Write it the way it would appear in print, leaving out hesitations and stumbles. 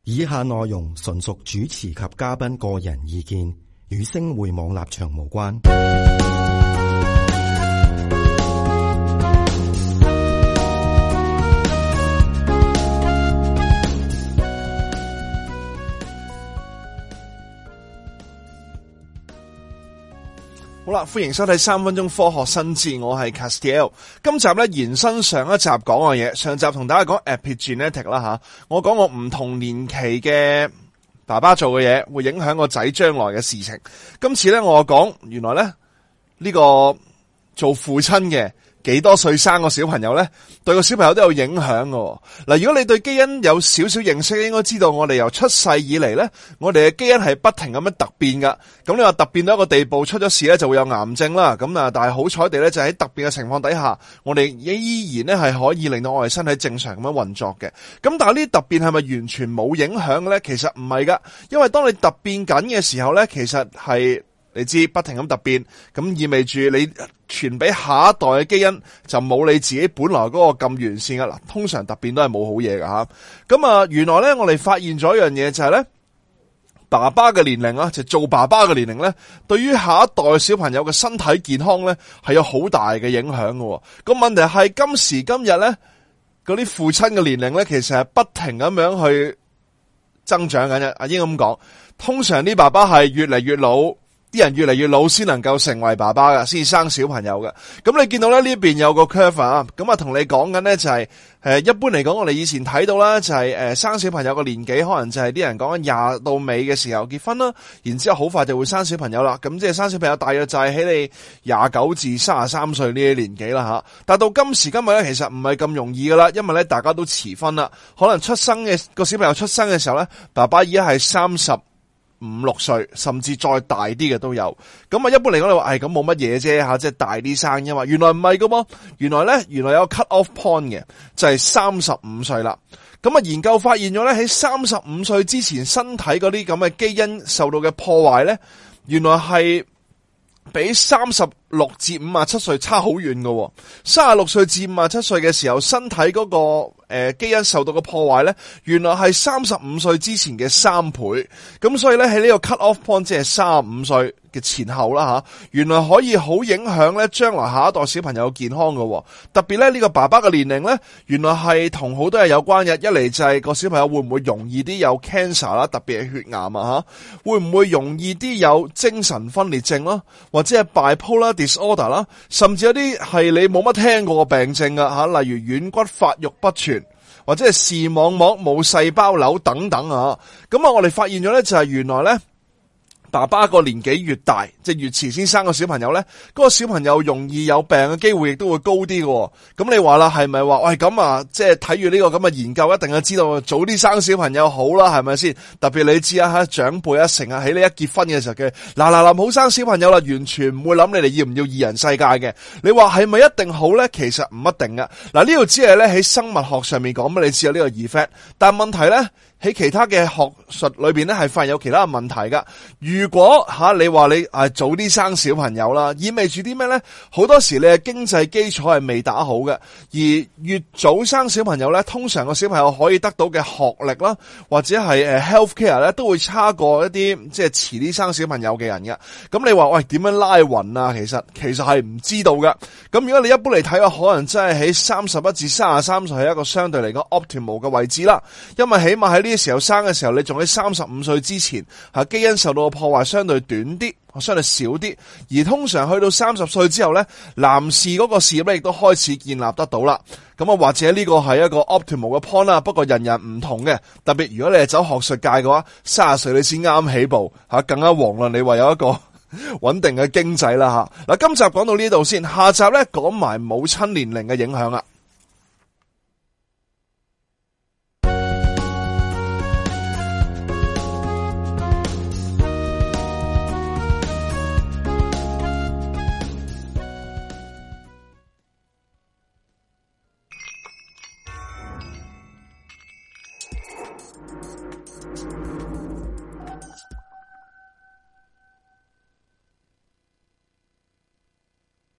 以下內容純屬主持及嘉賓個人意見，與星匯網立場無關。好啦，歡迎收睇3分鐘科學新知，我係 Castiel。今集咧延伸上一集講嘅嘢，上集同大家講 epigenetic 啦吓，我講我唔同年期嘅爸爸做嘅嘢會影響個仔將來嘅事情。今次咧我講原來咧呢個做父親嘅幾多歲生個小朋友咧，對個小朋友都有影響嘅。嗱，如果你對基因有少少認識，應該知道我哋由出世以嚟咧，我哋嘅基因係不停咁樣突變噶。咁你話突變到一個地步，出咗事咧就會有癌症啦。咁啊，但係好彩地咧，就喺突變嘅情況底下，我哋依然咧係可以令到我哋身體正常咁樣運作嘅。咁但係呢啲突變係咪完全冇影響嘅咧？其實唔係噶，因為當你突變緊嘅時候咧，其實係你知不停咁突變，咁意味住你傳俾下一代嘅基因就冇你自己本來嗰個咁完善噶啦。通常突變都係冇好嘢噶吓。咁啊，原來咧我哋發現咗一樣嘢就係咧，爸爸嘅年齡啊，就做爸爸嘅年齡咧，對於下一代小朋友嘅身體健康咧係有好大嘅影響嘅。個問題係今時今日咧，嗰啲父親嘅年齡咧，其實係不停咁樣去增長緊嘅。阿英咁講，通常啲爸爸係越嚟越老。啲人越嚟越老先能夠成為爸爸噶，先生小朋友噶。咁你見到咧呢邊有個 curve 啊，咁啊同你講緊咧就係一般嚟講，我哋以前睇到啦，就係生小朋友嘅年紀，可能就係啲人講緊20到尾嘅時候結婚啦，然之後好快就會生小朋友啦。咁即係生小朋友大約就係喺你29至33歲呢啲年紀啦吓。但係到今時今日咧，其實唔係咁容易噶啦，因為咧大家都遲婚啦，可能出生嘅個小朋友出生嘅時候咧，爸爸已經係35、6歲，甚至再大啲嘅都有。咁啊，一般嚟講你話，咁冇乜嘢啫吓，即係大啲生啫嘛。原來唔係噶噃，原來有個 cut off point 嘅，就係35歲啦。咁啊，研究發現咗咧，喺35歲之前，身體嗰啲咁嘅基因受到嘅破壞咧，原來係比36至57歲差好遠㗎。36歲至57歲嘅時候，身體嗰個基因受到嘅破壞咧，原來係35歲之前嘅3倍。咁所以咧，喺呢個 cut off point，即係35歲嘅前後啦吓，原來可以好影響咧將來下一代小朋友健康㗎。特別咧呢個爸爸嘅年齡咧，原來係同好多嘢有關嘅。一嚟就係個小朋友會唔會容易啲有 cancer 啦，特別係血癌啊吓，會唔會容易啲有精神分裂症啦，或者係 bipolar disorder 啦，甚至有啲係你冇乜聽過嘅病症啊吓，例如軟骨發育不全，或者係視網膜冇細胞瘤等等啊。咁啊，我哋發現咗咧就係原來咧，爸爸個年紀越大，即係越遲先生個小朋友咧，嗰個小朋友容易有病嘅機會亦都會高啲嘅。咁你話啦，係咪話喂咁啊？即係睇住呢個咁嘅研究，一定係知道早啲生小朋友好啦，係咪先？特別你知啊，吓長輩啊，成日喺你一結婚嘅時候嘅嗱唔好生小朋友啦，完全唔會諗你哋要唔要二人世界嘅。你話係咪一定好咧？其實唔一定噶。嗱，呢度只係咧喺生物學上面講俾你知有呢個 effect， 但係問題咧，喺其他嘅學術裏邊咧係發現有其他嘅問題噶。如果你話你早啲生小朋友啦，意味住啲咩咧？好多時你嘅經濟基礎係未打好嘅，而越早生小朋友咧，通常個小朋友可以得到嘅學歷啦，或者係health care 咧，都會差過一啲即係遲啲生小朋友嘅人嘅。咁你話喂點樣拉勻啊？其實係唔知道噶。咁如果你一般嚟睇嘅，可能真係喺31至33歲係一個相對嚟講 optimal 嘅位置啦，因為起碼喺呢個時候生嘅時候，你仲喺35歲之前，基因受到嘅破壞相對短啲，相對少啲。而通常去到30歲之後咧，男士嗰個事業咧亦都開始建立得到啦。咁啊，或者呢個係一個 optimal 嘅 point 啦。不過人人唔同嘅，特別如果你係走學術界嘅話，30歲你先啱起步更加遑論你話有一個穩定嘅經濟啦吓。嗱，今集講到呢度先，下集咧講埋母親年齡嘅影響啦。